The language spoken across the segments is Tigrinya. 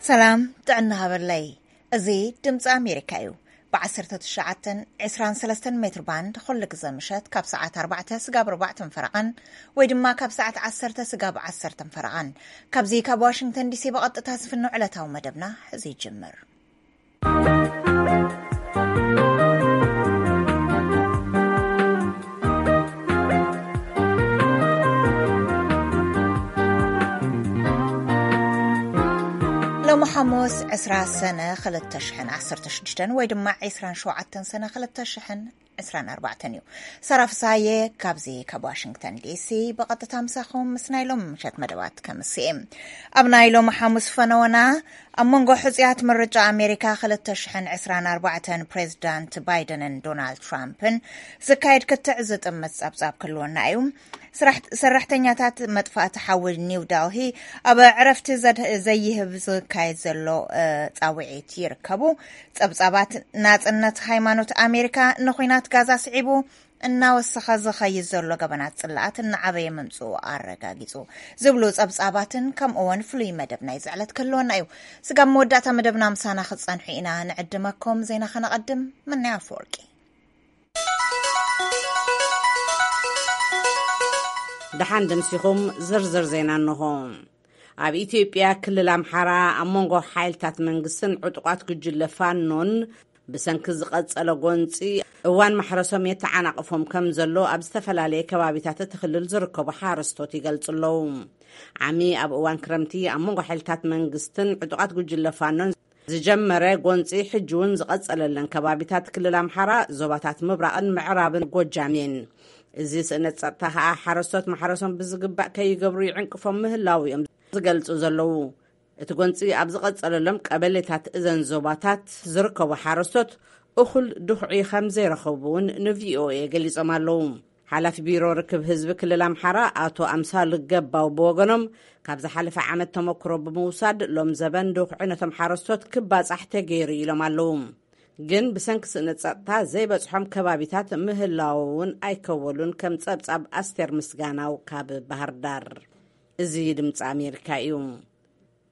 ሰላም ጥዕና ሃበለይ። እዚ ድምፂ ኣሜሪካ እዩ። ብ19፣ 23 ሜትር ባንድ ኩሉ ግዘ ምሸት ካብ ሰዓት ኣርባዕተ ስጋብ ኣርባዕተን ፈረቓን፣ ወይ ድማ ካብ ሰዓት ዓሰርተ ስጋብ ዓሰርተን ፈረቓን፣ ካብዚ ካብ ዋሽንግተን ዲሲ ብቐጥታ ዝፍኖ ዕለታዊ መደብና እዚ ይጅምር። ሎሚ ሓሙስ ዕስራ ሰነ ክልተ ሽሕን ዓሰርተ ሽዱሽተን ወይ ድማ ዕስራን ሸውዓተን ሰነ ክልተ ሽሕን ዕስራን ኣርባዕተን እዩ። ሳራ ፍሳዬ ካብዚ ካብ ዋሽንግተን ዲሲ ብቐጥታ ምሳኹም ምስ ናይ ሎም ምሸት መደባት ከምስእ። ኣብ ናይ ሎም ሓሙስ ፈነወና ኣብ መንጎ ሕጽያት ምርጫ ኣሜሪካ ክልተ ሽሕን ዕስራን ኣርባዕተን ፕሬዚዳንት ባይደንን ዶናልድ ትራምፕን ዝካየድ ክትዕ ዝጥምት ጸብጻብ ክህልወና እዩ። ስራሕ-፣ ሰራሕተኛታት መጥፋእቲ ሓዊ ኒው ዳልሂ ኣብ ዕረፍቲ ዘድ-፣ ዘይህብ ዝካየድ ዘሎ፣ እ፣ ጻውዒት ይርከቡ። ጸብጻባት ናጽነት ሃይማኖት ኣሜሪካ ንኹናት ጋዛ ስዒቡ እናወሰኸ ዝኸይድ ዘሎ ገበናት ጽላኣት እናዓበየ ምምጽኡ ኣረጋጊጹ ዝብሉ ጸብጻባትን ከምኡ እውን ፍሉይ መደብ ናይ ዝዕለት ክህልወና እዩ። ስጋብ መወዳእታ መደብና ምሳና ክትጸንሑ ኢና ንዕድመኩም። ዜና ከነቐድም። ምናይ ኣፈወርቂ። ደሓን ደምሲኹም። ዝርዝር ዜና እንሆ። ኣብ ኢትዮጵያ ክልል ኣምሓራ ኣብ መንጎ ሓይልታት መንግስትን ዕጡቓት ጉጅለ ፋኖን ብሰንኪ ዝቐጸለ ጎንጺ እዋን ማሕረሶም የተዓናቕፎም ከም ዘሎ ኣብ ዝተፈላለየ ከባቢታት እቲ ክልል ዝርከቡ ሓረስቶት ይገልጹ ኣለዉ። ዓሚ ኣብ እዋን ክረምቲ ኣብ መንጎ ሓይልታት መንግስትን ዕጡቓት ጉጅለ ፋኖን ዝጀመረ ጎንጺ ሕጂ እውን ዝቐጸለለን ከባቢታት ክልል ኣምሓራ ዞባታት ምብራቕን ምዕራብን ጎጃም እየን። እዚ ስእነት ጸጥታ ከኣ ሓረስቶት ማሕረሶም ብዝግባእ ከይገብሩ ይዕንቅፎም ምህላው እዮም ዝገልጹ ዘለዉ። እቲ ጎንጺ ኣብ ዝቐጸለሎም ቀበሌታት እዘን ዞባታት ዝርከቡ ሓረስቶት እኹል ድኹዒ ከም ዘይረኸቡ እውን ንቪኦኤ ገሊጾም ኣለዉ። ሓላፊ ቢሮ ርክብ ህዝቢ ክልል ኣምሓራ ኣቶ ኣምሳሉ ገባው ብወገኖም፣ ካብ ዝሓለፈ ዓመት ተመክሮ ብምውሳድ ሎም ዘበን ድኹዒ ነቶም ሓረስቶት ክባጻሕ ተገይሩ ኢሎም ኣለዉ። ግን ብሰንኪ ስእነት ጸጥታ ዘይበጽሖም ከባቢታት ምህላዉ እውን ኣይከወሉን፣ ከም ጸብጻብ ኣስቴር ምስጋናው ካብ ባህር ዳር። እዚ ድምፂ ኣሜሪካ እዩ።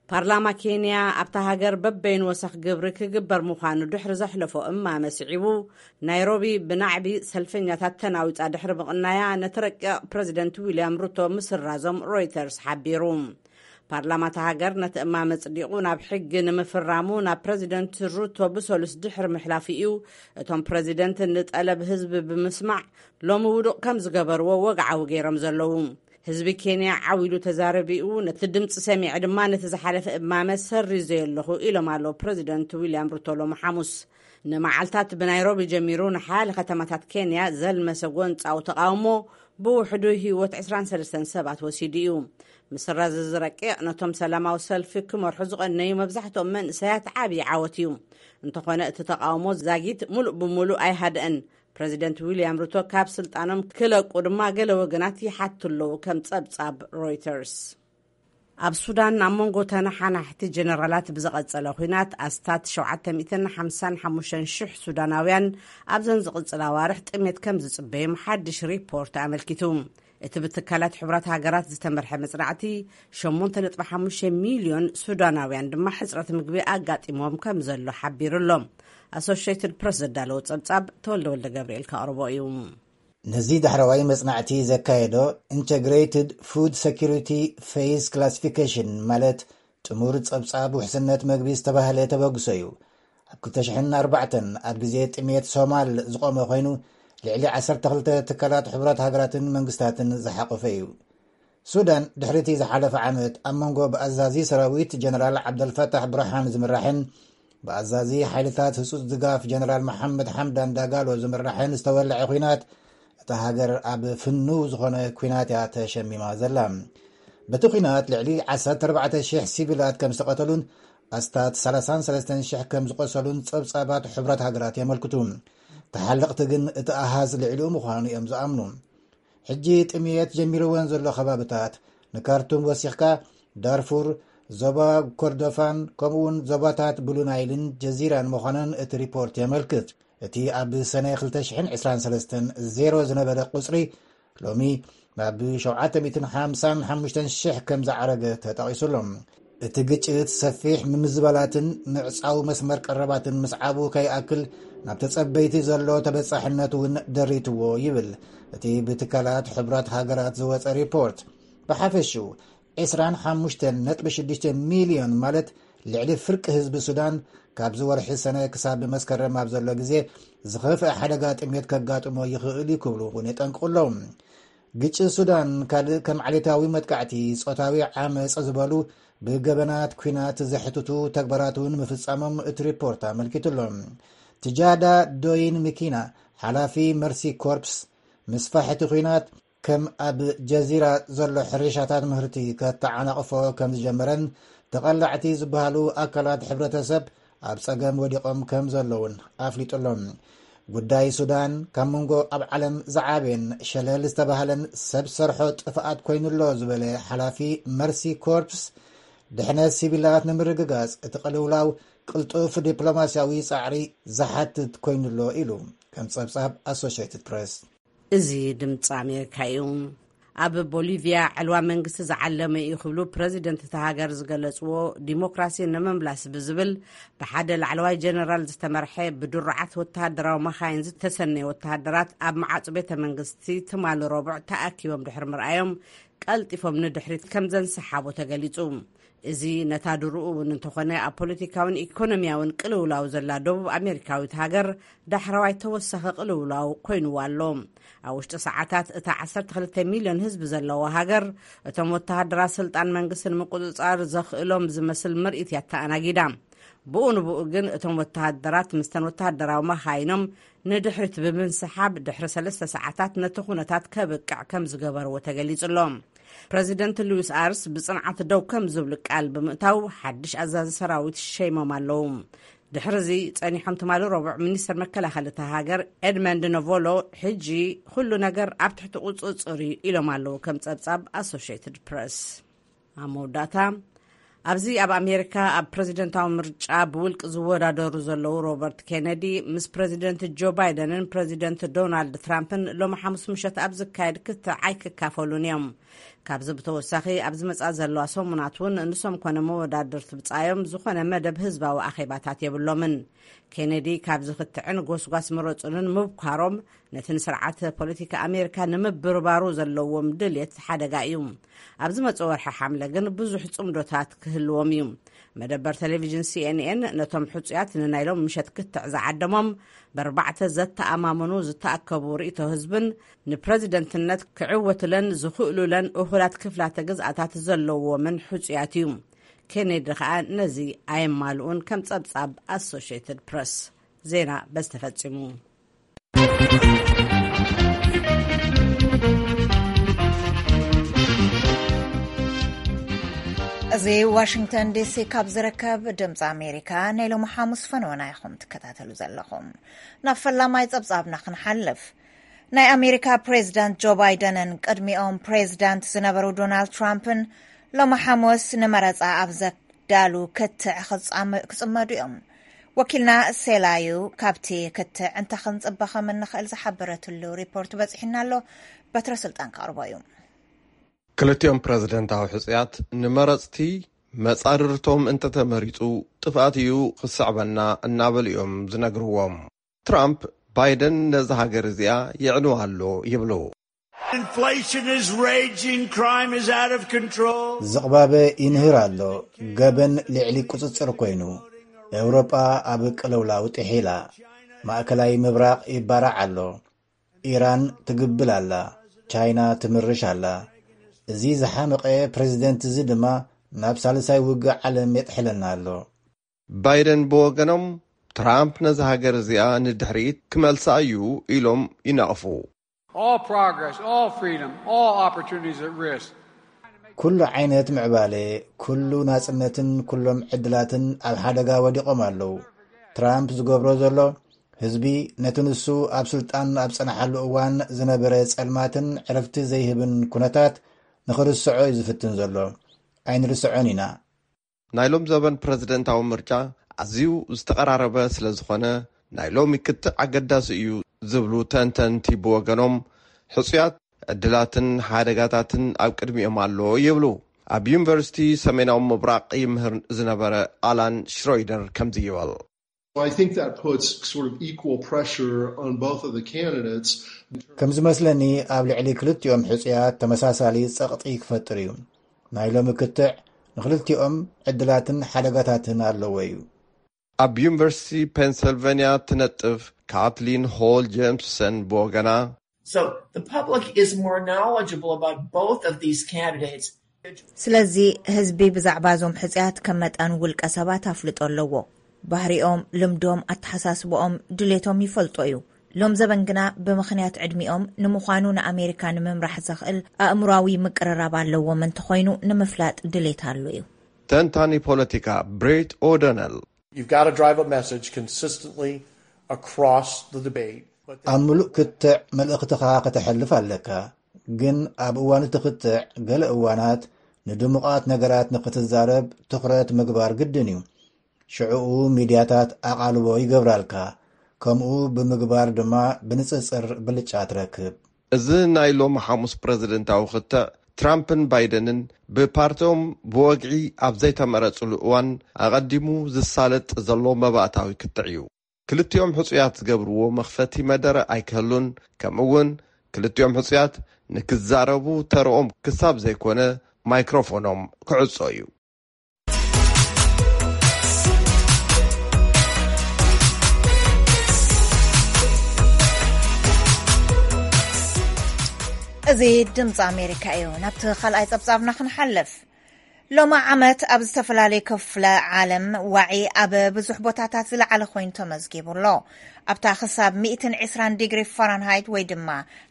ፓርላማ ኬንያ ኣብታ ሃገር በበይኑ ወሰኽ ግብሪ ክግበር ምዃኑ ድሕሪ ዘሕለፎ እማመ ስዒቡ፣ ናይሮቢ ብናዕቢ ሰልፈኛታት ተናዊጻ ድሕሪ ምቕናያ፣ ነቲ ረቂቕ ፕረዚደንት ዊልያም ሩቶ ምስራዞም ሮይተርስ ሓቢሩ። ፓርላማ እታ ሃገር ነቲ እማመ ጽዲቑ ናብ ሕጊ ንምፍራሙ ናብ ፕረዚደንት ሩቶ ብሰሉስ ድሕሪ ምሕላፉ እዩ፣ እቶም ፕረዚደንት ንጠለብ ህዝቢ ብምስማዕ ሎሚ ውዱቕ ከም ዝገበርዎ ወግዓዊ ገይሮም ዘለዉ። ህዝቢ ኬንያ ዓው ኢሉ ተዛረቢኡ፣ ነቲ ድምፂ ሰሚዐ ድማ ነቲ ዝሓለፈ እማመ ሰሪዘዮ ኣለኹ ኢሎም ኣለዉ ፕረዚደንት ዊልያም ሩቶ ሎሚ ሓሙስ። ንመዓልታት ብናይሮቢ ጀሚሩ ንሓያለ ከተማታት ኬንያ ዘልመሰ ጎንፃዊ ተቃውሞ ብውሕዱ ህይወት ዕስራን ሰለስተን ሰባት ወሲዱ እዩ። ምስራዝ እዚ ረቂቕ ነቶም ሰላማዊ ሰልፊ ክመርሑ ዝቐነዩ መብዛሕትኦም መንእሰያት ዓብዪ ዓወት እዩ። እንተኾነ እቲ ተቃውሞ ዛጊት ሙሉእ ብሙሉእ ኣይሃድአን። ፕረዚደንት ዊልያም ሩቶ ካብ ስልጣኖም ክለቁ ድማ ገለ ወገናት ይሓቱ ኣለዉ፣ ከም ጸብጻብ ሮይተርስ። ኣብ ሱዳን ኣብ መንጎ ተነሓናሕቲ ጀነራላት ብዝቐጸለ ኲናት ኣስታት ሸውዓተ ሚእትን ሓምሳን ሓሙሽተን ሽሕ ሱዳናውያን ኣብዘን ዝቕጽላ ኣዋርሕ ጥሜት ከም ዝጽበዮም ሓድሽ ሪፖርት ኣመልኪቱ። እቲ ብትካላት ሕቡራት ሃገራት ዝተመርሐ መጽናዕቲ፣ ሸሞንተ ነጥቢ ሓሙሽተ ሚልዮን ሱዳናውያን ድማ ሕጽረት ምግቢ ኣጋጢሞም ከም ዘሎ ሓቢሩ ኣሎ። ኣሶሽየትድ ፕረስ ዘዳለዎ ጸብጻብ ተወልደ ወልደ ገብርኤል ከቕርቦ እዩ። ነዚ ዳሕረዋይ መጽናዕቲ ዘካየዶ ኢንተግሬትድ ፉድ ሴኩሪቲ ፌዝ ክላሲፊኬሽን፣ ማለት ጥሙር ጸብጻብ ውሕስነት መግቢ ዝተባህለ ተበግሶ እዩ። ኣብ ክልተ ሽሕን ኣርባዕተን ኣብ ግዜ ጥሜት ሶማል ዝቖመ ኮይኑ፣ ልዕሊ ዓሰርተ ክልተ ትካላት ሕቡራት ሃገራትን መንግስታትን ዝሓቆፈ እዩ። ሱዳን ድሕሪ እቲ ዝሓለፈ ዓመት ኣብ መንጎ ብኣዛዚ ሰራዊት ጀነራል ዓብደልፈታሕ ብርሃን ዝምራሕን ብኣዛዚ ሓይልታት ህጹጽ ድጋፍ ጀነራል መሓመድ ሓምዳን ዳጋሎ ዝምራሕን ዝተወልዐ ኲናት፣ እታ ሃገር ኣብ ፍኑው ዝኾነ ኲናት እያ ተሸሚማ ዘላ። በቲ ኲናት ልዕሊ ዓሰርተ ኣርባዕተ ሽሕ ሲቪላት ከም ዝተቐተሉን ኣስታት ሰላሳን ሰለስተን ሽሕ ከም ዝቖሰሉን ጸብጻባት ሕቡራት ሃገራት የመልክቱ። ተሓለቕቲ ግን እቲ ኣሃዝ ልዕሊኡ ምዃኑ እዮም ዝኣምኑ። ሕጂ ጥምየት ጀሚርወን ዘሎ ከባብታት፣ ንካርቱም ወሲኽካ፣ ዳርፉር፣ ዞባ ኮርዶፋን፣ ከምኡውን ዞባታት ብሉ ናይልን ጀዚራን ምዃነን እቲ ሪፖርት የመልክት። እቲ ኣብ ሰነ ክልተ ሽሕን ዕስራን ሰለስተን ዜሮ ዝነበረ ቁጽሪ፣ ሎሚ ናብ ሸውዓተ ሚእትን ሓምሳን ሓሙሽተን ሽሕ ከም ዝዓረገ ተጠቒሱ ኣሎ። እቲ ግጭት ሰፊሕ ምምዝባላትን ምዕጻው መስመር ቀረባትን ምስዓቡ ከይኣክል ናብ ተጸበይቲ ዘሎ ተበጻሕነት እውን ደሪትዎ ይብል እቲ ብትካላት ሕቡራት ሃገራት ዝወጸ ሪፖርት። ብሓፈሽኡ ዕስራን ሓሙሽተን ነጥቢ ሽዱሽተ ሚልዮን ማለት ልዕሊ ፍርቂ ህዝቢ ሱዳን ካብዚ ወርሒ ሰነ ክሳብ መስከረም ኣብ ዘሎ ግዜ ዝኸፍአ ሓደጋ ጥሜት ከጋጥሞ ይኽእል እዩ ክብሉ እውን የጠንቅቑ ኣለዉ። ግጭት ሱዳን ካልእ ከም ዓሌታዊ መጥቃዕቲ፣ ጾታዊ ዓመጽ ዝበሉ ብገበናት ኲናት ዘሕትቱ ተግባራት እውን ምፍጻሞም እቲ ሪፖርት ኣመልኪቱ ኣሎ። ትጃዳ ዶይን ሚኪና፣ ሓላፊ መርሲ ኮርፕስ፣ ምስፋሕ እቲ ኲናት ከም ኣብ ጀዚራ ዘሎ ሕርሻታት ምህርቲ ከተዓናቕፎ ከም ዝጀመረን ተቐላዕቲ ዝበሃሉ ኣካላት ሕብረተሰብ ኣብ ጸገም ወዲቖም ከም ዘለውን ኣፍሊጡ ኣሎ። ጉዳይ ሱዳን ካብ መንጎ ኣብ ዓለም ዝዓበየን ሸለል ዝተባህለን ሰብ ሰርሖ ጥፍኣት ኮይኑሎ ዝበለ ሓላፊ መርሲ ኮርፕስ፣ ድሕነት ሲቪላት ንምርግጋጽ እቲ ቅልውላው ቅልጡፍ ዲፕሎማስያዊ ጻዕሪ ዝሓትት ኮይኑሎ ኢሉ ከም ጸብጻብ ኣሶሽየትድ ፕሬስ። እዚ ድምፂ ኣሜሪካ እዩ። ኣብ ቦሊቪያ ዕልዋ መንግስቲ ዝዓለመ እዩ ክብሉ ፕረዚደንት እታ ሃገር ዝገለፅዎ፣ ዲሞክራሲ ንምምላስ ብዝብል ብሓደ ላዕለዋይ ጀነራል ዝተመርሐ ብድሩዓት ወተሃደራዊ መኻይን ዝተሰነየ ወተሃደራት ኣብ መዓፁ ቤተ መንግስቲ ትማሊ ረቡዕ ተኣኪቦም ድሕሪ ምርኣዮም፣ ቀልጢፎም ንድሕሪት ከም ዘንሰሓቦ ተገሊፁ። እዚ ነታ ድሮኡ እውን እንተኾነ ኣብ ፖለቲካውን ኢኮኖሚያውን ቅልውላው ዘላ ደቡብ ኣሜሪካዊት ሃገር ዳሕረዋይ ተወሳኺ ቅልውላው ኮይንዋ ኣሎ። ኣብ ውሽጢ ሰዓታት እታ ዓሰርተ ክልተ ሚልዮን ህዝቢ ዘለዋ ሃገር፣ እቶም ወተሃደራት ስልጣን መንግስቲ ንምቁፅፃር ዘኽእሎም ዝመስል ምርኢት እያ ተኣናጊዳ። ብኡ ንብኡ ግን እቶም ወተሃደራት ምስተን ወተሃደራዊ መኻይኖም ንድሕሪት ብምንስሓብ፣ ድሕሪ ሰለስተ ሰዓታት ነቲ ኩነታት ከብቅዕ ከም ዝገበርዎ ተገሊጹ ኣሎ። ፕረዚደንት ሉዊስ ኣርስ ብጽንዓት ደው ከም ዝብሉ ቃል ብምእታው፣ ሓድሽ ኣዛዚ ሰራዊት ሸይሞም ኣለዉ። ድሕሪ እዚ ጸኒሖም ትማሊ ረቡዕ ሚኒስትር መከላኸሊ እታ ሃገር ኤድመንድ ነቮሎ፣ ሕጂ ኩሉ ነገር ኣብ ትሕቲ ቁጽጽር እዩ ኢሎም ኣለዉ፣ ከም ጸብጻብ ኣሶሽየትድ ፕረስ። ኣብ መወዳእታ፣ ኣብዚ ኣብ ኣሜሪካ ኣብ ፕረዚደንታዊ ምርጫ ብውልቂ ዝወዳደሩ ዘለዉ ሮበርት ኬነዲ ምስ ፕረዚደንት ጆ ባይደንን ፕረዚደንት ዶናልድ ትራምፕን ሎሚ ሓሙስ ምሸት ኣብ ዝካየድ ክትዕ ኣይክካፈሉን እዮም። ካብዚ ብተወሳኺ፣ ኣብ ዝመጻ ዘለዋ ሰሙናት እውን ንሶም ኮነ መወዳድርቲ ብጻዮም ዝኾነ መደብ ህዝባዊ ኣኼባታት የብሎምን። ኬነዲ ካብዚ ክትዕን ጎስጓስ ምረጹንን ምብኳሮም፣ ነቲ ንስርዓት ፖለቲካ ኣሜሪካ ንምብርባሩ ዘለዎም ድልየት ሓደጋ እዩ። ኣብ ዝመጽእ ወርሒ ሓምለ ግን ብዙሕ ጽምዶታት ክህልዎም እዩ። መደበር ቴሌቪዥን ሲኤንኤን ነቶም ሕጹያት ንናይ ሎም ምሸት ክትዕ ዝዓደሞም፣ ብኣርባዕተ ዘተኣማምኑ ዝተኣከቡ ርእይቶ ህዝብን ንፕረዚደንትነት ክዕወቱለን ዝኽእሉለን እኹላት ክፍላተ ግዝኣታት ዘለዎምን ሕጹያት እዩ። ኬኔዲ ከኣ ነዚ ኣየማልኡን፣ ከም ጸብጻብ ኣሶሽየትድ ፕረስ። ዜና በዚ ተፈጺሙ። እዚ ዋሽንግተን ዲሲ ካብ ዝርከብ ድምፂ ኣሜሪካ ናይ ሎሚ ሓሙስ ፈነወና ኢኹም ትከታተሉ ዘለኹም። ናብ ፈላማይ ጸብጻብና ክንሓልፍ፣ ናይ ኣሜሪካ ፕሬዚዳንት ጆ ባይደንን ቅድሚኦም ፕሬዚዳንት ዝነበሩ ዶናልድ ትራምፕን ሎሚ ሓሙስ ንመረጻ ኣብ ዘዳሉ ክትዕ ክጻመ-፣ ክጽመዱ እዮም። ወኪልና ሴላዩ ካብቲ ክትዕ እንታይ ክንጽበ ከም እንኽእል ዝሓበረትሉ ሪፖርት በጺሑና ኣሎ። በትረ ስልጣን ከቕርቦ እዩ። ክልቲኦም ፕረዚደንታዊ ሕጹያት ንመረጽቲ መጻርርቶም እንተተመሪጹ ጥፍኣት እዩ ክስዕበና እናበሉ እዮም ዝነግርዎም። ትራምፕ ባይደን ነዛ ሃገር እዚኣ የዕንዋ ኣሎ ይብሉ። Inflation is raging, crime is out of control. ዝቕባበ ይንህር ኣሎ፣ ገበን ልዕሊ ቁጽጽር ኮይኑ፣ ኤውሮጳ ኣብ ቅልውላው ጥሒላ፣ ማእከላይ ምብራቕ ይባራዕ ኣሎ፣ ኢራን ትግብል ኣላ፣ ቻይና ትምርሽ ኣላ። እዚ ዝሓመቐ ፕረዚደንት እዚ ድማ ናብ ሳልሳይ ውግእ ዓለም የጥሕለና ኣሎ። ባይደን ብወገኖም፣ ትራምፕ ነዛ ሃገር እዚኣ ንድሕሪት ክመልሳ እዩ ኢሎም ይነቕፉ። All progress, all freedom, all opportunities at risk. ኩሉ ዓይነት ምዕባለ፣ ኩሉ ናጽነትን ኩሎም ዕድላትን ኣብ ሓደጋ ወዲቖም ኣለዉ። ትራምፕ ዝገብሮ ዘሎ፣ ህዝቢ ነቲ ንሱ ኣብ ስልጣን ኣብ ጸንሓሉ እዋን ዝነበረ ጸልማትን ዕረፍቲ ዘይህብን ኩነታት ንኽርስዖ እዩ ዝፍትን ዘሎ። ኣይንርስዖን ኢና። ናይ ሎም ዘበን ፕረዚደንታዊ ምርጫ ኣዝዩ ዝተቐራረበ ስለ ዝኾነ፣ ናይ ሎሚ ክትዕ ኣገዳሲ እዩ ዝብሉ ተንተንቲ ብወገኖም፣ ሕጹያት ዕድላትን ሓደጋታትን ኣብ ቅድሚኦም ኣሎ ይብሉ። ኣብ ዩኒቨርሲቲ ሰሜናዊ ምብራቕ ይምህር ዝነበረ ኣላን ሽሮይደር ከምዚ ይብል። I think that puts sort of equal pressure on both of the candidates. ከም ዝመስለኒ ኣብ ልዕሊ ክልቲኦም ሕጹያት ተመሳሳሊ ጸቕጢ ክፈጥር እዩ። ናይ ሎሚ ክትዕ ንክልቲኦም ዕድላትን ሓደጋታትን ኣለዎ እዩ። ኣብ ዩኒቨርሲቲ ፔንሰልቨንያ ትነጥፍ ካትሊን ሆል ጀምሰን ብወገና፣ So the public is more knowledgeable about both of these candidates. ስለዚ ህዝቢ ብዛዕባ እዞም ሕጽያት ከም መጠን ውልቀ ሰባት ኣፍልጦ ኣለዎ። ባህሪኦም፣ ልምዶም፣ ኣተሓሳስብኦም፣ ድሌቶም ይፈልጦ እዩ። ሎም ዘበን ግና ብምኽንያት ዕድሚኦም ንምዃኑ ንኣሜሪካ ንምምራሕ ዘኽእል ኣእምሯዊ ምቅርራብ ኣለዎም እንተኾይኑ ንምፍላጥ ድሌት ኣሎ እዩ። ተንታኒ ፖለቲካ ብሬት ኦደነል፣ You've got to drive a message consistently across the debate. But ኣብ ምሉእ ክትዕ መልእኽትኻ ከተሕልፍ ኣለካ። ግን ኣብ እዋን እቲ ክትዕ ገለ እዋናት ንድሙቓት ነገራት ንክትዛረብ ትኹረት ምግባር ግድን እዩ። ሽዕኡ ሚድያታት ኣቓልቦ ይገብራልካ። ከምኡ ብምግባር ድማ ብንጽጽር ብልጫ ትረክብ። እዚ ናይ ሎሚ ሓሙስ ፕረዚደንታዊ ክትዕ ትራምፕን ባይደንን ብፓርቲኦም ብወግዒ ኣብ ዘይተመረጽሉ እዋን ኣቐዲሙ ዝሳለጥ ዘሎ መባእታዊ ክትዕ እዩ። ክልቲኦም ሕጹያት ዝገብርዎ መኽፈቲ መደረ ኣይክህሉን። ከምኡ እውን ክልቲኦም ሕጹያት ንክዛረቡ ተርኦም ክሳብ ዘይኮነ ማይክሮፎኖም ክዕጾ እዩ። እዚ ድምፂ ኣሜሪካ እዩ። ናብቲ ካልኣይ ፀብፃብና ክንሓልፍ። ሎሚ ዓመት ኣብ ዝተፈላለዩ ክፍለ ዓለም ዋዒ ኣብ ብዙሕ ቦታታት ዝለዓለ ኮይኑ ተመዝጊቡ ኣሎ። ኣብታ ክሳብ ሚእትን ዕስራን ዲግሪ ፋራንሃይት ወይ ድማ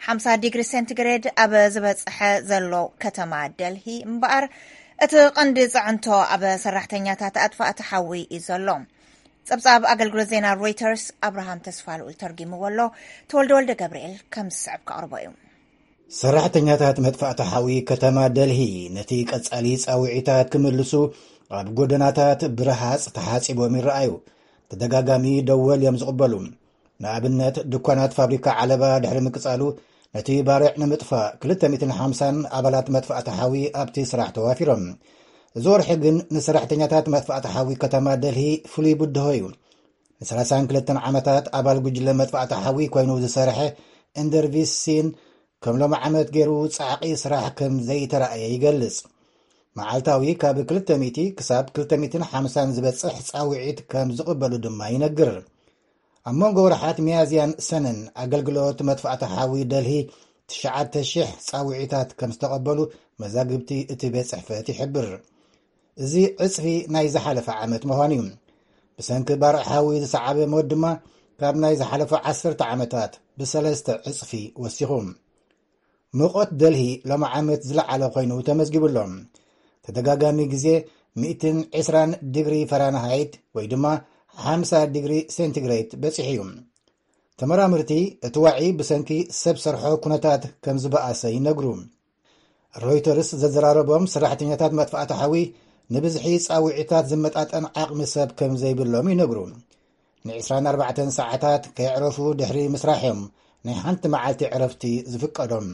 ሓምሳ ዲግሪ ሴንቲግሬድ ኣብ ዝበፅሐ ዘሎ ከተማ ደልሂ እምበኣር እቲ ቀንዲ ፅዕንቶ ኣብ ሰራሕተኛታት ኣጥፋእቲ ሓዊ እዩ ዘሎ። ፀብፃብ ኣገልግሎት ዜና ሮይተርስ ኣብርሃም ተስፋልኡል ተርጊምዎ ኣሎ። ተወልደ ወልደ ገብርኤል ከም ዝስዕብ ከቕርቦ እዩ። ሰራሕተኛታት መጥፋእቲ ሓዊ ከተማ ደልሂ ነቲ ቀጻሊ ጻውዒታት ክምልሱ ኣብ ጎደናታት ብረሃጽ ተሓጺቦም ይረኣዩ። ተደጋጋሚ ደወል እዮም ዝቕበሉ። ንኣብነት ድኳናት ፋብሪካ ዓለባ ድሕሪ ምቅጻሉ ነቲ ባርዕ ንምጥፋእ ክልተ ሚእትን ሓምሳን ኣባላት መጥፋእቲ ሓዊ ኣብቲ ስራሕ ተዋፊሮም። እዚ ወርሒ ግን ንሰራሕተኛታት መጥፋእቲ ሓዊ ከተማ ደልሂ ፍሉይ ብድሆ እዩ። ንሰላሳን ክልተን ዓመታት ኣባል ጉጅለ መጥፋእቲ ሓዊ ኮይኑ ዝሰርሐ እንደርቪስ ሲን ከም ሎሚ ዓመት ገይሩ ጻዕቒ ስራሕ ከም ዘይተራእየ ይገልጽ። መዓልታዊ ካብ ክልተ ሚእቲ ክሳብ ክልተ ሚእትን ሓምሳን ዝበጽሕ ጻውዒት ከም ዝቕበሉ ድማ ይነግር። ኣብ መንጎ ወርሓት ሚያዝያን ሰነን ኣገልግሎት መጥፋእቲ ሓዊ ደልሂ ትሽዓተ ሽሕ ጻውዒታት ከም ዝተቐበሉ መዛግብቲ እቲ ቤት ጽሕፈት ይሕብር። እዚ ዕጽፊ ናይ ዝሓለፈ ዓመት ምዃኑ እዩ። ብሰንኪ ባርዕ ሓዊ ዝሰዓበ ሞት ድማ ካብ ናይ ዝሓለፈ ዓሰርተ ዓመታት ብሰለስተ ዕጽፊ ወሲኹ። ሙቐት ደልሂ ሎሚ ዓመት ዝለዓለ ኮይኑ ተመዝጊቡ ኣሎ። ተደጋጋሚ ግዜ ሚእትን ዕስራን ዲግሪ ፈራንሃይት ወይ ድማ ሓምሳ ዲግሪ ሴንቲግሬድ በጺሑ እዩ። ተመራመርቲ እቲ ዋዒ ብሰንኪ ሰብ ሰርሖ ኩነታት ከም ዝበኣሰ ይነግሩ። ሮይተርስ ዘዘራረቦም ሰራሕተኛታት መጥፋእቲ ሓዊ ንብዝሒ ጻውዒታት ዝመጣጠን ዓቕሚ ሰብ ከም ዘይብሎም ይነግሩ። ን24 ሰዓታት ከየዕረፉ ድሕሪ ምስራሕ እዮም ናይ ሓንቲ መዓልቲ ዕረፍቲ ዝፍቀዶም።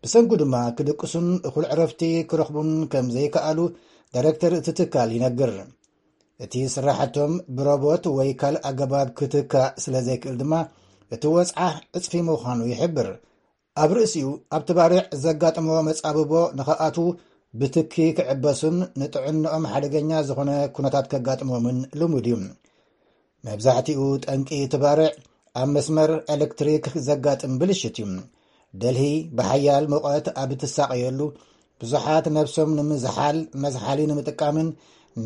ብሰንኩ ድማ ክድቅሱን እኹል ዕረፍቲ ክረኽቡን ከም ዘይከኣሉ ዳይሬክተር እቲ ትካል ይነግር። እቲ ስራሕቶም ብሮቦት ወይ ካልእ ኣገባብ ክትካእ ስለ ዘይክእል ድማ እቲ ወጽዓ ዕጽፊ ምዃኑ ይሕብር። ኣብ ርእሲኡ ኣብቲ ባርዕ ዘጋጥሞ መጻብቦ ንኸኣትዉ ብትኪ ክዕበሱን ንጥዕንኦም ሓደገኛ ዝኾነ ኩነታት ከጋጥሞምን ልሙድ እዩ። መብዛሕትኡ ጠንቂ እቲ ባርዕ ኣብ መስመር ኤሌክትሪክ ዘጋጥም ብልሽት እዩ። ደልሂ ብሓያል ሙቐት ኣብ እትሳቐየሉ ብዙሓት ነብሶም ንምዝሓል መዝሓሊ ንምጥቃምን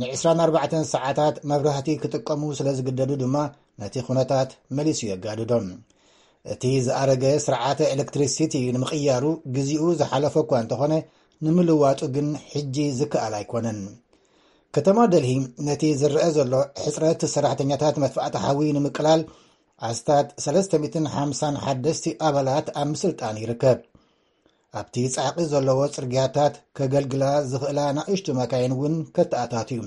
ን24 ሰዓታት መብራህቲ ክጥቀሙ ስለ ዝግደዱ ድማ ነቲ ኩነታት መሊሱ የጋድዶም። እቲ ዝኣረገ ስርዓተ ኤሌክትሪሲቲ ንምቕያሩ ግዜኡ ዝሓለፈ እኳ እንተኾነ ንምልዋጡ ግን ሕጂ ዝከኣል ኣይኮነን። ከተማ ደልሂ ነቲ ዝረአ ዘሎ ሕጽረት ሰራሕተኛታት መጥፋእቲ ሓዊ ንምቅላል ኣስታት ሰለስተ ሚእትን ሓምሳን ሓደስቲ ኣባላት ኣብ ምስልጣን ይርከብ። ኣብቲ ጻዕቒ ዘለዎ ጽርግያታት ከገልግላ ዝኽእላ ናእሽቱ መካይን እውን ከተኣታቱ እዩ።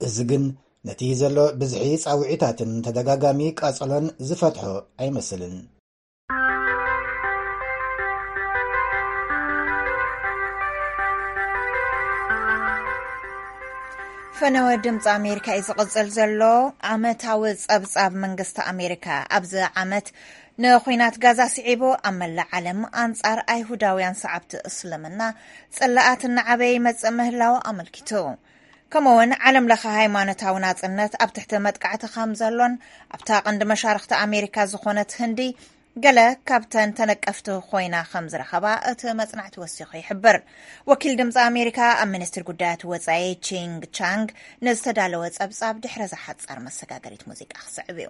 እዚ ግን ነቲ ዘሎ ብዝሒ ጻውዒታትን ተደጋጋሚ ቃጸሎን ዝፈትሖ ኣይመስልን። ፈነወ ድምፂ ኣሜሪካ እዩ ዝቕፅል ዘሎ። ዓመታዊ ፀብፃብ መንግስቲ ኣሜሪካ ኣብዚ ዓመት ንኹናት ጋዛ ስዒቡ ኣብ መላእ ዓለም ኣንጻር ኣይሁዳውያን ሰዓብቲ እስልምና ጽላኣት እናዓበየ ይመጽእ ምህላው ኣመልኪቱ። ከምኡውን ዓለም ለኸ ሃይማኖታዊ ናጽነት ኣብ ትሕቲ መጥቃዕቲ ከም ዘሎን ኣብታ ቀንዲ መሻርኽቲ ኣሜሪካ ዝኾነት ህንዲ ገለ ካብተን ተነቀፍቲ ኮይና ከም ዝረኸባ እቲ መጽናዕቲ ወሲኹ ይሕብር። ወኪል ድምፂ ኣሜሪካ ኣብ ሚኒስትሪ ጉዳያት ወፃኢ ቺንግ ቻንግ ንዝተዳለወ ጸብጻብ ድሕረ ዝሓጻር መሰጋገሪት ሙዚቃ ክስዕብ እዩ።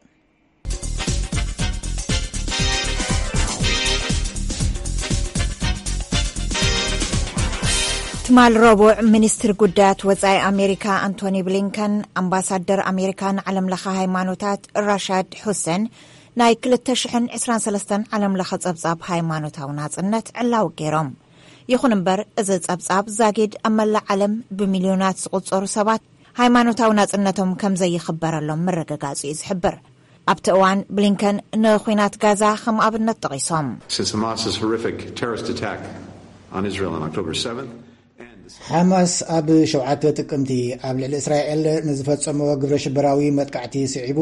ትማል ረቡዕ ሚኒስትሪ ጉዳያት ወፃኢ ኣሜሪካ ኣንቶኒ ብሊንከን ኣምባሳደር ኣሜሪካ ንዓለም ለኸ ሃይማኖታት ራሻድ ሑሰን ናይ ክልተ ሽሕን ዕስራን ሰለስተን ዓለም ለኸ ፀብፃብ ሃይማኖታዊ ናፅነት ዕላዊ ገይሮም። ይኹን እምበር እዚ ፀብፃብ ዛጊድ ኣብ መላእ ዓለም ብሚልዮናት ዝቑፀሩ ሰባት ሃይማኖታዊ ናፅነቶም ከም ዘይኽበረሎም ምርግጋፁ እዩ ዝሕብር። ኣብቲ እዋን ብሊንከን ንኹናት ጋዛ ከም ኣብነት ጠቒሶም። Since Hamas's horrific terrorist attack on Israel on October seventh, ሓማስ ኣብ ሸውዓተ ጥቅምቲ ኣብ ልዕሊ እስራኤል ንዝፈጸሞ ግብረ ሽበራዊ መጥቃዕቲ ስዒቡ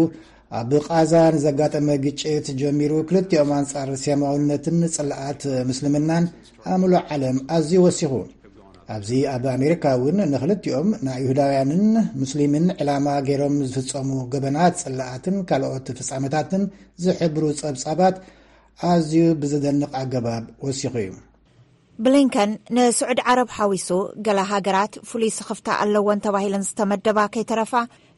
ኣብ ቃዛ ንዘጋጠመ ግጭት ጀሚሩ ክልቲኦም ኣንጻር ስያማውነትን ጽልኣት ምስልምናን ኣብ ምሉእ ዓለም ኣዝዩ ወሲኹ። ኣብዚ ኣብ ኣሜሪካ እውን ንክልቲኦም ንይሁዳውያንን ሙስሊምን ዕላማ ገይሮም ዝፍጸሙ ገበናት ጽልኣትን ካልኦት ፍጻመታትን ዝሕብሩ ጸብጻባት ኣዝዩ ብዝደንቕ ኣገባብ ወሲኹ እዩ። ብሊንከን ንስዑድ ዓረብ ሓዊሱ ገለ ሃገራት ፍሉይ ስኽፍታ ኣለወን ተባሂለን ዝተመደባ ከይተረፋ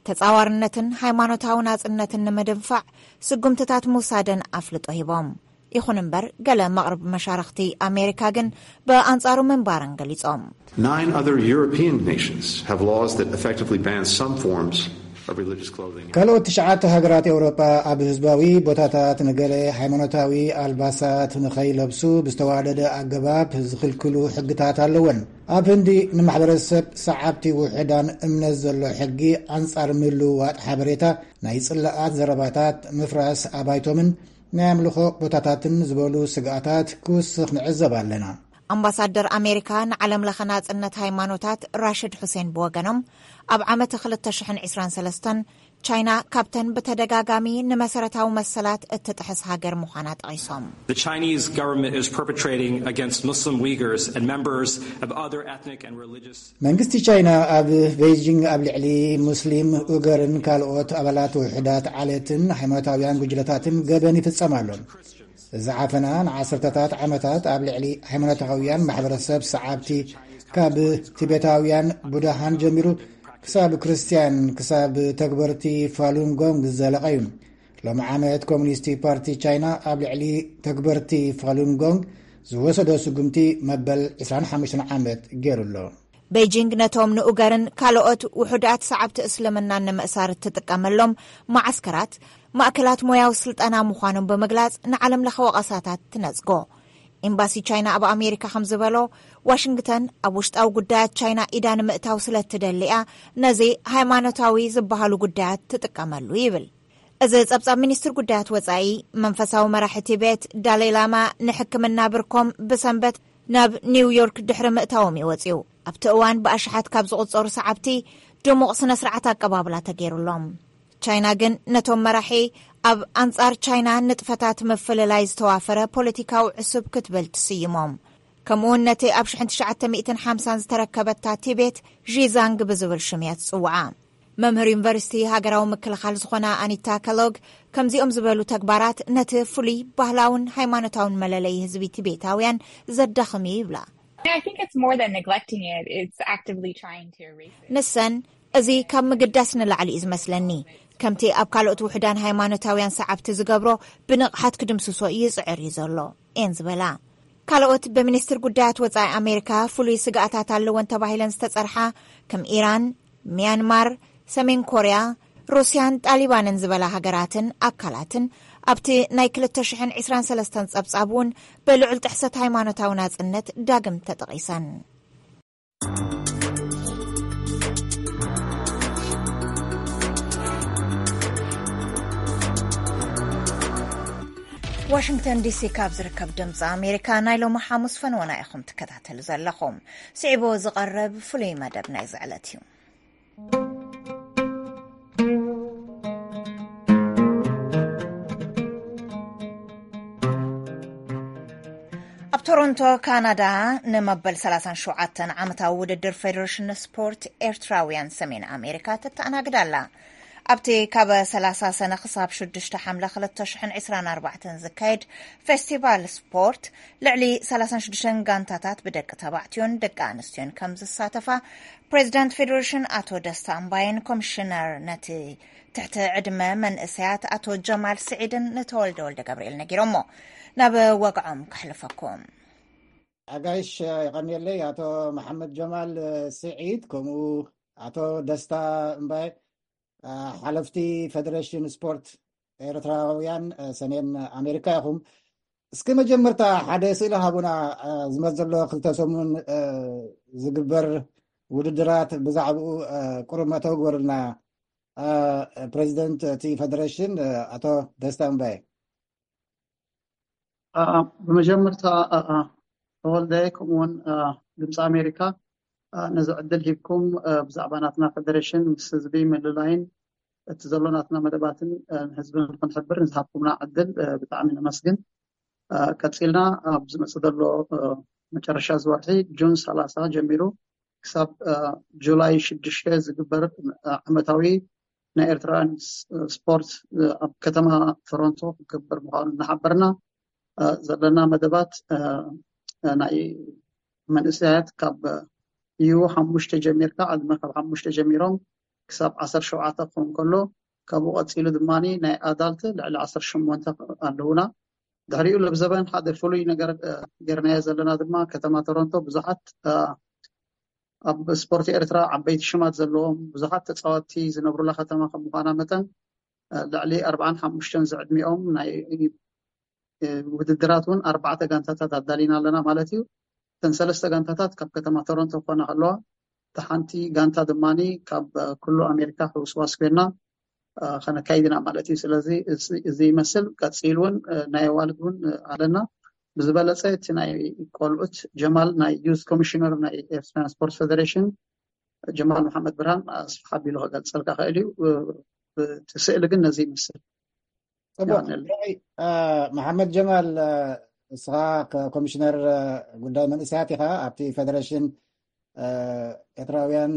ተጻዋርነትን ሃይማኖታዊ ናጽነትን ንምድንፋዕ ስጉምትታት ምውሳደን ኣፍልጦ ሂቦም። ይኹን እምበር ገለ መቕርብ መሻርኽቲ ኣሜሪካ ግን ብኣንጻሩ ምንባረን ገሊጾም። Nine other European nations have laws that effectively ban some forms of religious clothing. ካልኦት ትሽዓተ ሃገራት ኤውሮጳ ኣብ ህዝባዊ ቦታታት ንገለ ሃይማኖታዊ ኣልባሳት ንኸይለብሱ ብዝተዋደደ ኣገባብ ዝኽልክሉ ሕግታት ኣለወን። ኣብ ህንዲ ንማሕበረሰብ ሰዓብቲ ውሑዳን እምነት ዘሎ ሕጊ ኣንጻር ምልውዋጥ ሓበሬታ፣ ናይ ጽላኣት ዘረባታት ምፍራስ ኣባይቶምን ናይ ኣምልኾ ቦታታትን ዝበሉ ስግኣታት ክውስኽ ንዕዘብ ኣለና። ኣምባሳደር ኣሜሪካ ንዓለም ለኸ ናጽነት ሃይማኖታት ራሽድ ሑሴን ብወገኖም ኣብ ዓመት ክልተ ሽሕን ዕስራን ሰለስተን ቻይና ካብተን ብተደጋጋሚ ንመሰረታዊ መሰላት እትጥሕስ ሃገር ምዃና ጠቒሶም። The Chinese government is perpetrating against Muslim Uyghurs and members of other ethnic and religious መንግስቲ ቻይና ኣብ ቤይጂንግ ኣብ ልዕሊ ሙስሊም ኡገርን ካልኦት ኣባላት ውሕዳት ዓሌትን ሃይማኖታውያን ጉጅለታትን ገበን ይፍጸም ኣሎ። እዚ ዓፈና ንዓሰርተታት ዓመታት ኣብ ልዕሊ ሃይማኖታውያን ማሕበረሰብ ሰዓብቲ ካብ ቲቤታውያን ቡድሃን ጀሚሩ ክሳብ ክርስትያን ክሳብ ተግበርቲ ፋሉንጎንግ ዝዘለቐ እዩ። ሎሚ ዓመት ኮሙኒስቲ ፓርቲ ቻይና ኣብ ልዕሊ ተግበርቲ ፋሉንጎንግ ዝወሰዶ ስጉምቲ መበል ዕስራን ሓሙሽተን ዓመት ገይሩ ኣሎ። ቤጂንግ ነቶም ንኡገርን ካልኦት ውሑዳት ሰዓብቲ እስልምናን ንምእሳር እትጥቀመሎም መዓስከራት ማእከላት ሞያዊ ስልጠና ምዃኖም ብምግላጽ ንዓለም ለኸ ወቐሳታት ትነጽጎ። ኤምባሲ ቻይና ኣብ ኣሜሪካ ከም ዝበሎ ዋሽንግተን ኣብ ውሽጣዊ ጉዳያት ቻይና ኢዳ ንምእታው ስለ እትደሊ እያ ነዚ ሃይማኖታዊ ዝበሃሉ ጉዳያት ትጥቀመሉ ይብል። እዚ ጸብጻብ ሚኒስትር ጉዳያት ወጻኢ መንፈሳዊ መራሒ ቲቤት ዳላይ ላማ ንሕክምና ብርኮም ብሰንበት ናብ ኒውዮርክ ድሕሪ ምእታዎም እዩ ወጺኡ። ኣብቲ እዋን ብኣሽሓት ካብ ዝቑጸሩ ሰዓብቲ ድሙቕ ስነ ስርዓት ኣቀባብላ ተገይሩሎም። ቻይና ግን ነቶም መራሒ ኣብ ኣንጻር ቻይና ንጥፈታት ምፍልላይ ዝተዋፈረ ፖለቲካዊ ዕሱብ ክትብል ትስይሞም። ከምኡውን ነቲ ኣብ ሽሕን ትሽዓተ ሚእትን ሓምሳን ዝተረከበታ ቲቤት ዢዛንግ ብዝብል ሽም እያ ትጽውዓ። መምህር ዩኒቨርሲቲ ሃገራዊ ምክልኻል ዝኾና ኣኒታ ከሎግ ከምዚኦም ዝበሉ ተግባራት ነቲ ፍሉይ ባህላውን ሃይማኖታውን መለለይ ህዝቢ ቲቤታውያን ዘዳኽም እዩ ይብላ። I think it's more than neglecting it. It's actively trying to erase it. ንሰን እዚ ካብ ምግዳስ ንላዕሊ እዩ ዝመስለኒ። ከምቲ ኣብ ካልኦት ውሕዳን ሃይማኖታውያን ሰዓብቲ ዝገብሮ ብንቕሓት ክድምስሶ ይጽዕር እዩ ዘሎ እየን ዝበላ። ካልኦት ብሚኒስትር ጉዳያት ወጻኢ ኣሜሪካ ፍሉይ ስግኣታት ኣለወን ተባሂለን ዝተጸርሓ ከም ኢራን፣ ሚያንማር፣ ሰሜን ኮርያ፣ ሩስያን ጣሊባንን ዝበላ ሃገራትን ኣካላትን ኣብቲ ናይ ክልተ ሽሕን ዕስራን ሰለስተን ጸብጻብ እውን ብልዑል ጥሕሰት ሃይማኖታዊ ናጽነት ዳግም ተጠቒሰን። ዋሽንግተን ዲሲ ካብ ዝርከብ ድምፂ ኣሜሪካ ናይ ሎሚ ሓሙስ ፈንወና ኢኹም ትከታተሉ ዘለኹም። ስዒቡ ዝቐርብ ፍሉይ መደብ ናይዚ ዕለት እዩ። ቶሮንቶ ካናዳ ንመበል ሰላሳን ሸውዓተን ዓመታዊ ውድድር ፌዴሬሽን ስፖርት ኤርትራውያን ሰሜን ኣሜሪካ ተተኣናግድ ኣላ። ኣብቲ ካብ ሰላሳ ሰነ ክሳብ ሽዱሽተ ሓምለ ክልተ ሽሕን ዕስራን ኣርባዕተን ዝካየድ ፌስቲቫል ስፖርት፣ ልዕሊ ሰላሳን ሽዱሽተን ጋንታታት ብደቂ ተባዕትዮን ደቂ ኣንስትዮን ከም ዝሳተፋ፣ ፕሬዚዳንት ፌዴሬሽን ኣቶ ደስታ እምባይን ኮሚሽነር ነቲ ትሕቲ ዕድመ መንእሰያት ኣቶ ጀማል ስዒድን ንተወልደ ወልደ ገብርኤል ነጊሮሞ። ናብ ወግዖም ከሕልፈኩም። ኣጋይሽ፣ የቐንየለይ። ኣቶ መሓመድ ጀማል ስዒድ፣ ከምኡ ኣቶ ደስታ እምባይ፣ ሓለፍቲ ፌደሬሽን ስፖርት ኤርትራውያን ሰሜን ኣሜሪካ ኢኹም። እስኪ መጀመርታ ሓደ ስእሊ ሃቡና፣ ዝመጽእ ዘሎ ክልተ ሰሙን ዝግበር ውድድራት፣ ብዛዕባኡ ቁሩብ መእተዊ ግበሩልና። ፕሬዚደንት እቲ ፌደሬሽን ኣቶ ደስታ እምባይ። ብመጀመርታ ተወልደ፣ ከምኡውን ድምፂ ኣሜሪካ ነዚ ዕድል ሂብኩም ብዛዕባ ናትና ፌደሬሽን ምስ ህዝቢ ምልላይን እቲ ዘሎ ናትና መደባትን ንህዝቢ ንክንሕብር ንዝሃብኩምና ዕድል ብጣዕሚ ነመስግን። ቀፂልና ኣብ ዝመፅእ ዘሎ መጨረሻ ዝወርሒ ጁን ሰላሳ ጀሚሩ ክሳብ ጁላይ ሽዱሽተ ዝግበር ዓመታዊ ናይ ኤርትራውያን ስፖርት ኣብ ከተማ ቶሮንቶ ክግበር ምዃኑ እናሓበርና፣ ዘለና መደባት ናይ መንእሰያት ካብ ዩ ሓሙሽተ ጀሚርካ፣ ዕድመ ካብ ሓሙሽተ ጀሚሮም ክሳብ ዓሰርተ ሸውዓተ ክኸውን ከሎ፣ ካብኡ ቀፂሉ ድማ ናይ ኣዳልት ልዕሊ ዓሰርተ ሸሞንተ ኣለውና። ድሕሪኡ ለብዘበን ሓደ ፍሉይ ነገር ጌርናዮ ዘለና ድማ፣ ከተማ ቶሮንቶ ብዙሓት ኣብ ስፖርት ኤርትራ ዓበይቲ ሽማት ዘለዎም ብዙሓት ተፃወትቲ ዝነብሩላ ከተማ ከም ምዃና መጠን፣ ልዕሊ ኣርባዓን ሓሙሽተን ዝዕድሚኦም ናይ ውድድራት እውን ኣርባዕተ ጋንታታት ኣዳሊና ኣለና ማለት እዩ። እተን ሰለስተ ጋንታታት ካብ ከተማ ቶሮንቶ ክኾና ከለዋ፣ እታ ሓንቲ ጋንታ ድማ ካብ ኩሉ ኣሜሪካ ሕውስዋስ ኮይና ከነካይድና ማለት እዩ። ስለዚ እዚ ይመስል። ቀፂል እውን ናይ ኣዋልድ እውን ኣለና። ብዝበለፀ እቲ ናይ ቆልዑት፣ ጀማል ናይ ዩዝ ኮሚሽነር ናይ ኤርትራን ስፖርት ፌደሬሽን፣ ጀማል መሓመድ ብርሃን ኣስፍሕ ኣቢሉ ክገልፀልካ ክእል እዩ። እቲ ስእሊ ግን ነዚ ይመስል። ፅቡቅ። መሓመድ ጀማል፣ እስኻ ኮሚሽነር ጉዳይ መንእሰያት ኢኻ ኣብቲ ፌደሬሽን ኤርትራውያን፣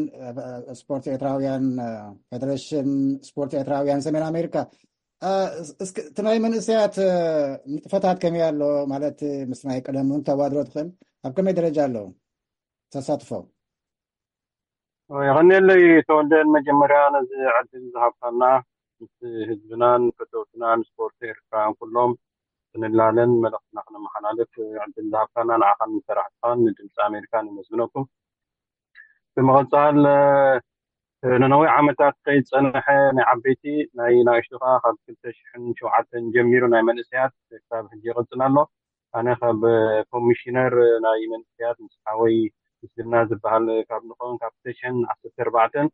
ስፖርት ኤርትራውያን፣ ፌደሬሽን ስፖርት ኤርትራውያን ሰሜን ኣሜሪካ። እስኪ እቲ ናይ መንእሰያት ንጥፈታት ከመይ ኣሎ? ማለት ምስ ናይ ቀደም እውን ተዋድሮ ትኽእል፣ ኣብ ከመይ ደረጃ ኣለዉ ተሳትፎ? የቐንየለይ ተወልደ፣ መጀመርያ ነዚ ዕድል ዝሃብካና፣ ምስ ህዝብናን ፈተውትናን ስፖርት ኤርትራውያን ኩሎም ክንላለን መልእኽትና ክነመሓላልፍ ዕድል ዝሃብካና ንዓኻን ንሰራሕትኻን ንድምፂ ኣሜሪካን የመስግነኩም። ብምቕፃል፣ ንነዊሕ ዓመታት ከይድ ዝፀንሐ ናይ ዓበይቲ ናይ ናእሽቱ ከዓ ካብ ክልተ ሽሕን ሸውዓተን ጀሚሩ ናይ መንእሰያት ክሳብ ሕጂ ይቕፅል ኣሎ። ኣነ ካብ ኮሚሽነር ናይ መንእሰያት ምስ ሓወይ ምስግና ዝበሃል ካብ ንኸውን ካብ ክልተ ሽሕን ዓሰርተ ኣርባዕተን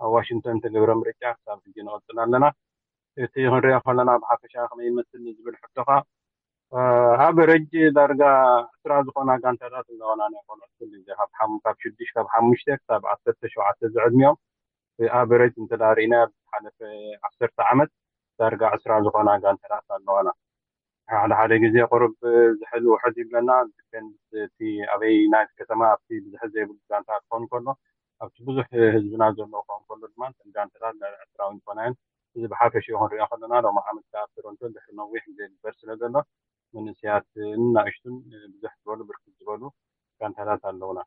ኣብ ዋሽንግተን ተገብረ ምርጫ ክሳብ ሕጂ ንቕፅል ኣለና። እቲ ክንሪኦ ከለና ብሓፈሻ ከመይ ይመስል ንዝብል ሕቶኻ፣ ኣብ ረጅ ዳርጋ ዕስራ ዝኾና ጋንታታት ኣለዋና ናይ ቆልዑት ኩሉ ግዜ ካብ ሓም- ካብ ሽዱሽተ ካብ ሓሙሽተ ክሳብ ዓሰርተ ሸውዓተ ዝዕድሚኦም ኣብ ረጅ እንተዳርኢና ዝሓለፈ ዓሰርተ ዓመት ዳርጋ ዕስራ ዝኾና ጋንታታት ኣለዋና። ሓደ ሓደ ግዜ ቁሩብ ዝሕል ውሕድ ይብለና። ዝከን እቲ ኣበይ ናይ ከተማ ኣብቲ ብዙሕ ዘይብሉ ጋንታ ክኸውን ከሎ ኣብቲ ብዙሕ ህዝብና ዘለዎ ክኸውን ከሎ ድማ እተን ጋንታታት ልዕሊ ዕስራ እውን ይኾና እየን። እዚ ብሓፈሽኡ ክንሪኦ ከለና ሎሚ ዓመት ከዓ ኣብ ቶሮንቶ ድሕሪ ነዊሕ ግዜ ዝግበር ስለ ዘሎ መንእሰያትን ናእሽቱን ብዙሕ ዝበሉ ብርክት ዝበሉ ጋንታታት ኣለውና።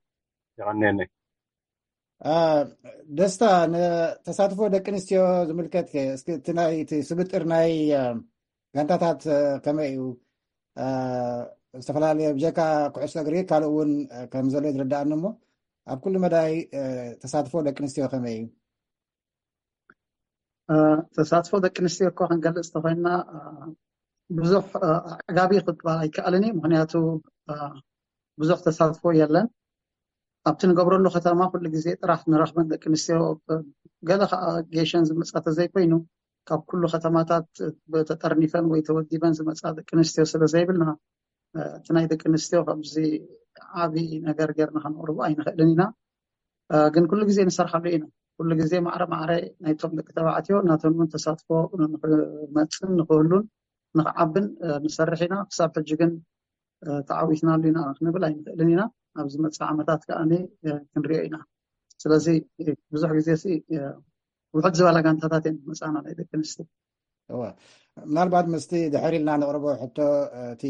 የቐንየለይ። ደስታ፣ ንተሳትፎ ደቂ ኣንስትዮ ዝምልከት ከ እስኪ እቲ ናይ እቲ ስብጥር ናይ ጋንታታት ከመይ እዩ? ዝተፈላለየ ብጀካ ኩዕሶ እግሪ ካልእ እውን ከም ዘሎ ዝርዳኣኒ እሞ ኣብ ኩሉ መዳይ ተሳትፎ ደቂ ኣንስትዮ ከመይ እዩ? ተሳትፎ ደቂ ኣንስትዮ እኳ ክንገልፅ ተኮይና ብዙሕ ኣዕጋቢ ክባል ኣይከኣልን እዩ። ምክንያቱ ብዙሕ ተሳትፎ የለን ኣብቲ ንገብረሉ ከተማ። ኩሉ ግዜ ጥራሕ ንረክበን ደቂ ኣንስትዮ፣ ገለ ከዓ ጌሸን ዝመፃ ተዘይኮይኑ ካብ ኩሉ ከተማታት ተጠርኒፈን ወይ ተወዲበን ዝመፃ ደቂ ኣንስትዮ ስለ ዘይብልና፣ እቲ ናይ ደቂ ኣንስትዮ ከምዚ ዓብዪ ነገር ጌርና ከነቕርቦ ኣይንኽእልን ኢና። ግን ኩሉ ግዜ ንሰርሓሉ ኢና። ኩሉ ግዜ ማዕረ ማዕረ ናይቶም ደቂ ተባዕትዮ ናቶም እውን ተሳትፎ ንክመፅን ንክህሉን ንክዓብን ንሰርሕ ኢና። ክሳብ ሕጂ ግን ተዓዊትናሉ ኢና ክንብል ኣይንኽእልን ኢና። ኣብ ዝመፅእ ዓመታት ከዓ ክንሪኦ ኢና። ስለዚ ብዙሕ ግዜ ውሕድ ዝበላ ጋንታታት እየን መፃና ናይ ደቂ ኣንስትዮ። ምናልባት ምስቲ ድሕር ኢልና ንቕርቦ ሕቶ፣ እቲ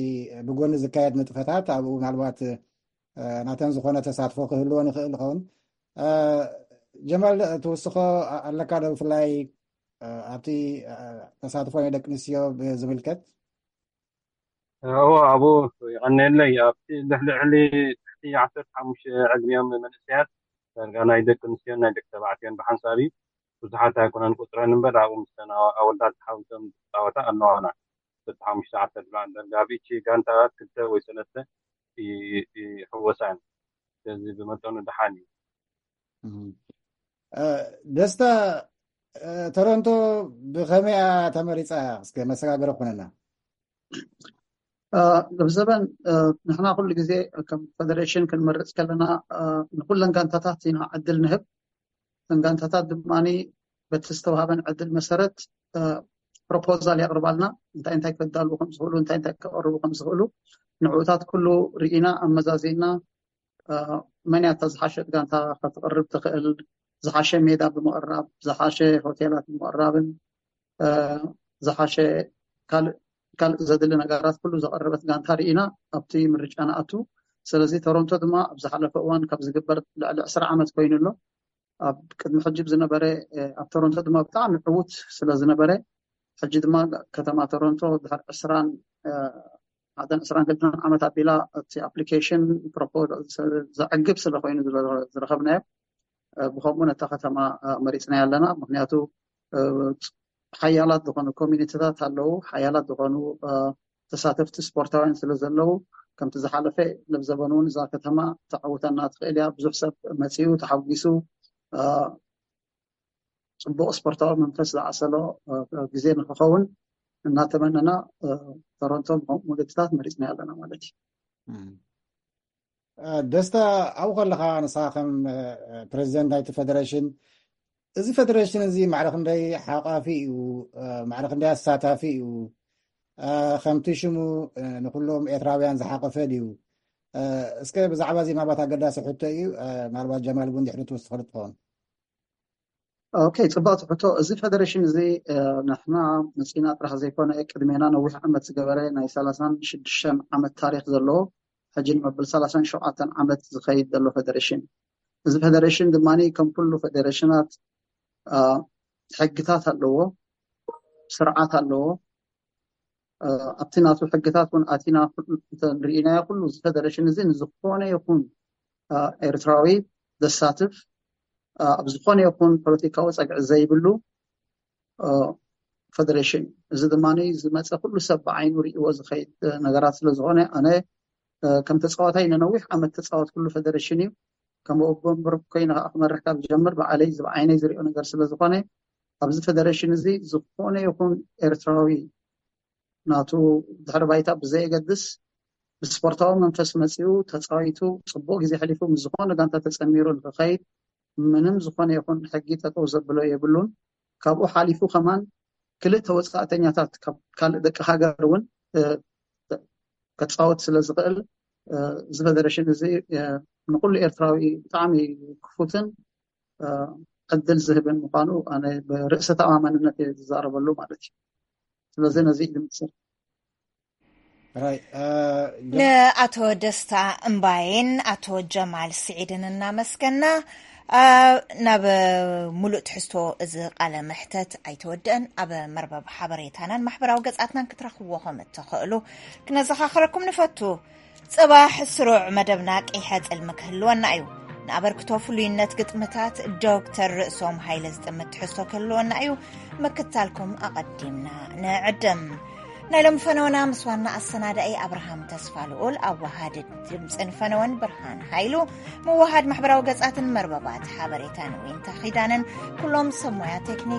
ብጎኒ ዝካየድ ንጥፈታት ኣብኡ ምናልባት ናተን ዝኾነ ተሳትፎ ክህልወን ይኽእል ይኸውን። ጀማል፣ ትውስኾ ኣለካ ዶ ብፍላይ ኣብቲ ተሳትፎ ናይ ደቂ ኣንስትዮ ብዝምልከት? እዎ፣ ኣብኡ ይቐነየለይ። ኣብቲ ልዕሊ ልዕሊ ትሕቲ ዓሰርተ ሓሙሽተ ዕድሚኦም መንእሰያት ዳርጋ ናይ ደቂ ኣንስትዮን ናይ ደቂ ተባዕትዮን ብሓንሳብ እዩ። ብዙሓት ኣይኮነን ቁፅረን እምበር ኣብኡ ምስተን ኣወዳት ተሓዊሶም ዝፃወታ ኣለዋና። ዓሰርተ ሓሙሽተ ዓሰርተ ዳርጋ ኣብ ኢቺ ጋንታ ክልተ ወይ ሰለስተ ይሕወሳ እየን። ስለዚ ብመጠኑ ደሓን እዩ። ደስታ፣ ቶሮንቶ ብኸመይ እያ ተመሪፃ? እስከ መሰጋገሪ ኩነና። ለብዘበን ንሕና ኩሉ ግዜ ከም ፌደሬሽን ክንመርፅ ከለና ንኩለን ጋንታታት ኢና ዕድል ንህብ። እተን ጋንታታት ድማ በቲ ዝተዋሃበን ዕድል መሰረት ፕሮፖዛል የቕርባልና፣ እንታይ እንታይ ከዳልዉ ከም ዝኽእሉ፣ እንታይ እንታይ ከቕርቡ ከም ዝኽእሉ። ንዕኡታት ኩሉ ርኢና ኣመዛዚና መን እያ እታ ዝሓሸት ጋንታ ከተቕርብ ትኽእል፣ ዝሓሸ ሜዳ ብምቕራብ፣ ዝሓሸ ሆቴላት ብምቕራብን ዝሓሸ ካልእ ካልእ ዘድሊ ነገራት ኩሉ ዘቐረበት ጋንታ ርኢና ኣብቲ ምርጫ ንኣቱ። ስለዚ ቶሮንቶ ድማ ኣብ ዝሓለፈ እዋን ካብ ዝግበር ልዕሊ ዕስራ ዓመት ኮይኑ ኣሎ። ኣብ ቅድሚ ሕጂ ዝነበረ ኣብ ቶሮንቶ ድማ ብጣዕሚ ዕዉት ስለ ዝነበረ ሕጂ ድማ ከተማ ቶሮንቶ ድሕሪ ዕስራን ሓደን ዕስራን ክልተን ዓመት ኣቢላ እቲ ኣፕሊኬሽን ዘዕግብ ስለ ኮይኑ ዝረኸብናዮ ብከምኡ ነታ ከተማ መሪፅናያ ኣለና። ምክንያቱ ሓያላት ዝኾኑ ኮሚኒቲታት ኣለዉ፣ ሓያላት ዝኾኑ ተሳተፍቲ ስፖርታውያን ስለ ዘለዉ ከምቲ ዝሓለፈ ለብዘበን እውን እዛ ከተማ ተዓውተና ትኽእል እያ። ብዙሕ ሰብ መፂኡ ተሓጒሱ ፅቡቕ ስፖርታዊ መንፈስ ዝዓሰሎ ግዜ ንክኸውን እናተመነና ቶሮንቶ ውድድታት መሪፅና ኣለና ማለት እዩ። ደስታ፣ ኣብኡ ከለኻ ንስኻ ከም ፕሬዚደንት ናይቲ ፌደሬሽን፣ እዚ ፌደሬሽን እዚ ማዕረ ክንደይ ሓቋፊ እዩ? ማዕረ ክንደይ ኣሳታፊ እዩ? ከምቲ ሽሙ ንኩሎም ኤርትራውያን ዝሓቆፈ ድዩ? እስከ ብዛዕባ እዚ ምናልባት ኣገዳሲ ሕቶ እዩ። ምናልባት ጀማል እውን ድሕሪ ትውስኸሉ ትኸውን። ኦኬ፣ ፅቡቅ ሕቶ። እዚ ፌደሬሽን እዚ ንሕና መፂና ጥራሕ ዘይኮነ ቅድሜና ነዊሕ ዓመት ዝገበረ ናይ ሰላሳን ሽዱሽተን ዓመት ታሪክ ዘለዎ ሕጂ ንመብል ሰላሳን ሸውዓተን ዓመት ዝኸይድ ዘሎ ፌደሬሽን። እዚ ፌደሬሽን ድማ ከም ኩሉ ፌደሬሽናት ሕግታት ኣለዎ፣ ስርዓት ኣለዎ። ኣብቲ ናቱ ሕግታት እውን ኣቲና ርኢናዮ። ኩሉ እዚ ፌደሬሽን እዚ ንዝኾነ ይኹን ኤርትራዊ ዘሳትፍ ኣብ ዝኾነ ይኹን ፖለቲካዊ ፀግዒ ዘይብሉ ፌደሬሽን። እዚ ድማ ዝመፀ ኩሉ ሰብ ብዓይኑ ሪእዎ ዝኸይድ ነገራት ስለዝኾነ ኣነ ከም ተፃዋታይ ንነዊሕ ዓመት ተፃወት ኩሉ ፌደሬሽን እዩ። ከም ወቦ ምርብ ኮይነ ከዓ ክመርሕ ካብ ዝጀምር ብዓለይ እዚ ብዓይነይ ዝሪኦ ነገር ስለዝኾነ ኣብዚ ፌደሬሽን እዚ ዝኾነ ይኹን ኤርትራዊ ናቱ ድሕሪ ባይታ ብዘየገድስ ብስፖርታዊ መንፈስ መፂኡ ተፃዊቱ ፅቡቅ ግዜ ሕሊፉ ምስ ዝኾነ ጋንታ ተፀሚሩ ንክኸይድ ምንም ዝኾነ ይኹን ሕጊ ጠጠው ዘብሎ የብሉን። ካብኡ ሓሊፉ ከማን ክልተ ወፃእተኛታት ካብ ካልእ ደቂ ሃገር እውን ከፃወት ስለ ዝኽእል እዚ ፌደሬሽን እዚ ንኩሉ ኤርትራዊ ብጣዕሚ ክፉትን ዕድል ዝህብን ምኳኑ ኣነ ብርእሰ ተኣማመንነት እየ ዝዛረበሉ ማለት እዩ። ስለዚ ነዚ እዩ ዝምስል። ንኣቶ ደስታ እምባይን ኣቶ ጀማል ስዒድን እናመስገና ናብ ሙሉእ ትሕዝቶ እዚ ቃለ መሕተት ኣይተወደአን። ኣብ መርበብ ሓበሬታናን ማሕበራዊ ገጻትናን ክትረኽብዎ ከም እትኽእሉ ክነዘኻኽረኩም ንፈቱ። ጽባሕ ስሩዕ መደብና ቀይሐ ጽልሚ ክህልወና እዩ። ንኣበርክቶ ፍሉይነት ግጥምታት ዶክተር ርእሶም ሃይለ ዝጥምት ትሕዝቶ ክህልወና እዩ። ምክታልኩም ኣቐዲምና ንዕድም። ናይ ሎም ፈነወና ምስ ዋና ኣሰናዳኢ ኣብርሃም ተስፋ ልኡል፣ ኣዋሃዲ ድምፅን ፈነወን ብርሃን ሃይሉ፣ መዋሃድ ማሕበራዊ ገጻትን መርበባት ሓበሬታን ዊንታ ኺዳንን ኩሎም ሰብ ሞያ ቴክኒክ